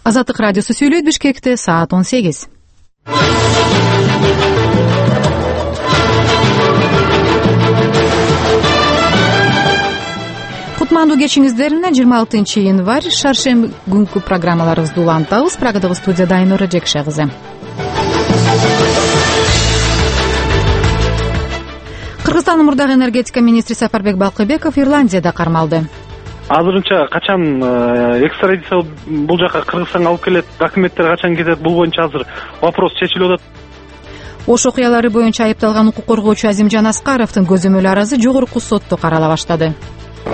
Азаттык радиосу сүйлөйт. Бишкекте саат 18. Кутмандуу кечиңиздер 26 январь шаршемби күнкү программаларыбызды улантабыз. Прагадагы студияда Айнура Жекше кызы. Кыргызстандын мурдагы энергетика министри Сапарбек Балкыбеков Ирландияда кармалды. Азырынча качан экстрадиция бул жака Кыргызстанга алып келет, документтер качан кетет, бул боюнча азыр вопрос чечилип атат. Ош окуялары боюнча айыпталган укук коргоочу Азимжан Аскаровдун көзөмөл аразы жогорку сотто карала баштады.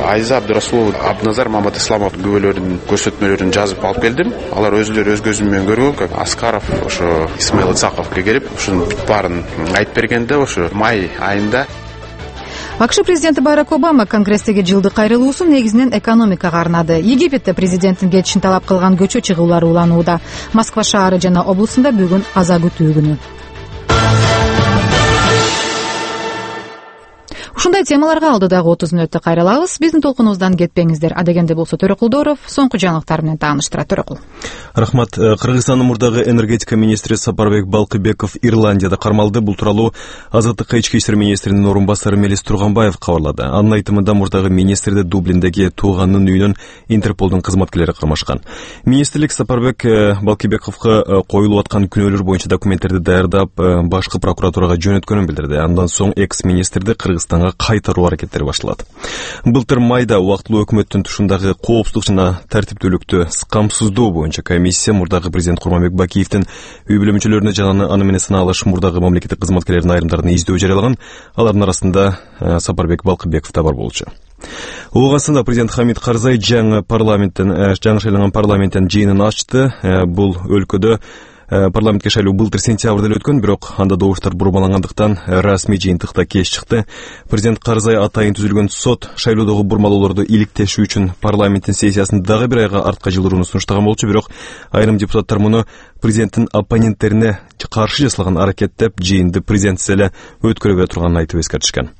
Айза Абдырасулов, Абназар Мамат Исламов күбөлөрүнүн көрсөтмөлөрүн жазып алып келдим. Алар өзүлөрү өз көзүм менен көргөн. Аскаров ошо Исмаил Исаковго келип, ушунун бүт баарын айтып бергенде ошо май айында АКШ президенти Барак Обама Конгресстеги жылдык кайрылуусун негизинен экономикага арнады. Египетте президенттин кетишин талап кылган көчө чыгуулар уланууда. Москва шаары жана облусунда бүгүн аза күтүү күнү. Ушундай темаларга алдыдагы 30 мүнөттө кайрылабыз. Биздин толкунубуздан кетпеңиздер. Адегенде болсо Төрөкулдоров соңку жаңылыктар менен тааныштырат. Төрөкул. Рахмат. Кыргызстандын мурдагы энергетика министри Сапарбек Балкыбеков Ирландияда кармалды. Бул тууралуу Азаттыкка ички иштер министринин орун басары Мелис Турганбаев кабарлады. Анын айтымында мурдагы министрди Дублиндеги тууганынын үйүнөн Интерполдун кызматкерлери кармашкан. Министрлик Сапарбек Балкыбековго коюлуп аткан күнөөлөр боюнча документтерди даярдап, башкы прокуратурага жөнөткөнүн билдирди. Андан соң экс-министрди Кыргызстанга кайтаруу аракеттери башталат. Былтыр майда убактылуу өкмөттүн тушундагы коопсуздук жана тартиптүүлүктү камсыздоо боюнча комиссия мурдагы президент Курманбек Бакиевдин үй бүлө мүчөлөрүнө жана аны менен сыналыш мурдагы мамлекеттик кызматкерлердин айрымдарын издөө жарыялаган. Алардын арасында Сапарбек Балкыбеков да бар болчу. Оогасында президент Хамид Карзай жаңы шайланган парламенттин жыйынын ачты. Бул өлкөдө парламентке шайлоо былтыр сентябрда эле өткөн, бирок анда добуштар бурмалангандыктан расмий жыйынтыкта кеч чыкты. Президент Карзай атайын түзүлгөн сот шайлоодогу бурмалоолорду иликтешүү үчүн парламенттин сессиясын дагы бир айга артка жылдырууну сунуштаган болчу, бирок айрым депутаттар муну президенттин оппоненттерине каршы жасалган аракет деп жыйынды президентсиз эле өткөрө турганын айтып эскертишкен.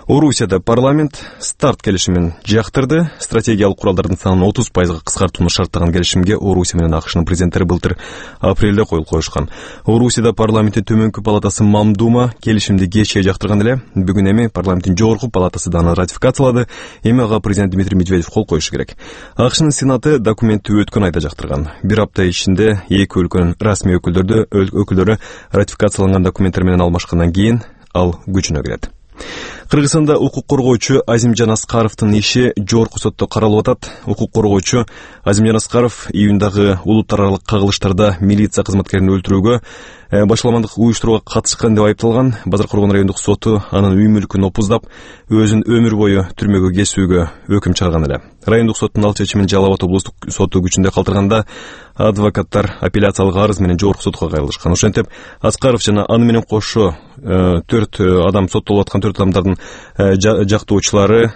Орусияда парламент старт келишимин жактырды. Стратегиялык куралдардын санын 30% кыскартууну шарттаган келишимге Орусия менен АКШнын президенттери былтыр апрелде кол коюшкан. Орусияда парламенттин төмөнкү палатасы Мамдума келишимди кечээ жактырган эле. Бүгүн эми парламенттин жогорку палатасы да аны ратификациялады. Эми ага президент Дмитрий Медведев кол коюшу керек. АКШнын сенаты документти өткөн айда жактырган. Бир апта ичинде эки өлкөнүн расмий өкүлдөрү ратификацияланган документтер менен алмашкандан кийин ал күчүнө кирет. Кыргызстанда укук коргоочу Азимжан Аскаровдун иши жогорку сотто каралып атат. Укук коргоочу Азимжан Аскаров июндагы улуттар аралык кагылыштарда милиция кызматкерин өлтүрүүгө, башаламандык уюштурууга катышкан деп айыпталган. Базар-Коргон райондук соту анын үй мүлкүн опуздап, өзүн өмүр бою түрмөгө кесүүгө өкүм чыгарган эле. Райондук соттун ал чечимин Жалал Абад облустук соту күчүндө калтырганда, адвокаттар апелляциялык арыз менен жогорку сотко кайрылышкан. Ошентип, Аскаров жана аны менен кошо 4 адам соттолуп аткан 4 адамдардын жактоочулары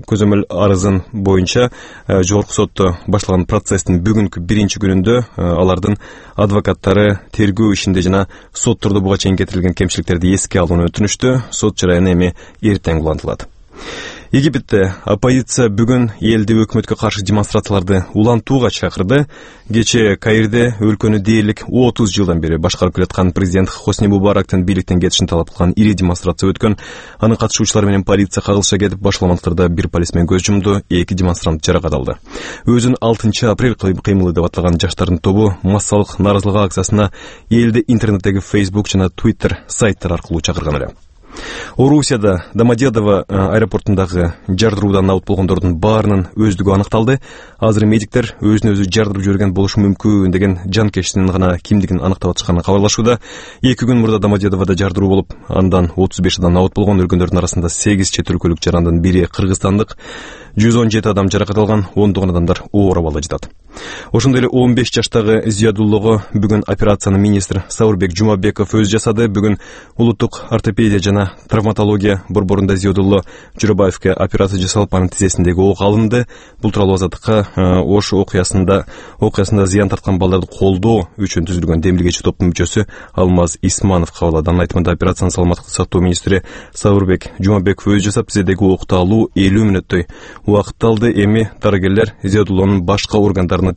көзөмөл арызын боюнча жогорку сотто башталган процесстин бүгүнкү биринчи күнүндө алардын адвокаттары тергөө ишинде жана соттордо буга чейин кетирилген кемчиликтерди эске алууну өтүнүштү. Сот жараяны эми эртең улантылат. Египетте оппозиция бүгүн элди өкмөткө каршы демонстрацияларды улантууга чакырды. Кечээ Каирде өлкөнү дээрлик 30 жылдан бери башкарып келаткан президент Хосни Мубарактын бийликтен кетишин талап кылган ири демонстрация өткөн. Анын катышуучулары менен полиция кагылыша кетип, башаламандыктарда бир полисмен көз жумду, 2 демонстрант жаракат алды. Өзүн 6 апрель кыймылы деп аталган жаштардын тобу массалык нааразылык акциясына элди интернеттеги Facebook жана Twitter сайттар аркылуу чакырган эле. Орусияда Домодедово аэропортундагы жардыруудан абут болгондордун баарынын өздүгү аныкталды. Азыр медиктер өзүн өзү жардырып жиберген болушу мүмкүн деген жанкештинин гана кимдигин аныктап атышканын кабарлашууда. 2 күн мурда Домодедоводо жардыруу болуп, андан 35 адам абут болгон. Өлгөндөрдүн арасында 8 чет өлкөлүк жарандын бири кыргызстандык, 117 адам жаракат алган, 10 адамдар оор абалда жатат. Ошондой эле 15 жаштагы Зиядуллого бүгүн операцияны министр Саурбек Жумабеков өзү жасады. Бүгүн улуттук ортопедия жана травматология борборунда Зиядулло Журабаевке операция жасалып, анын тизесиндеги ок алынды. Бул тууралуу Азаттыкка Ош окуясында зыян тарткан балдарды колдоо үчүн түзүлгөн демилгечи топтун мүчөсү Алмаз Исманов кабарлады. Анын айтымында операцияны саламаттыкты сактоо министри Саурбек Жумабеков өзү жасап, тизедеги окты алуу 50 мүнөттөй убакыт алды. Эми дарыгерлер Зиядуллонун башка органдарына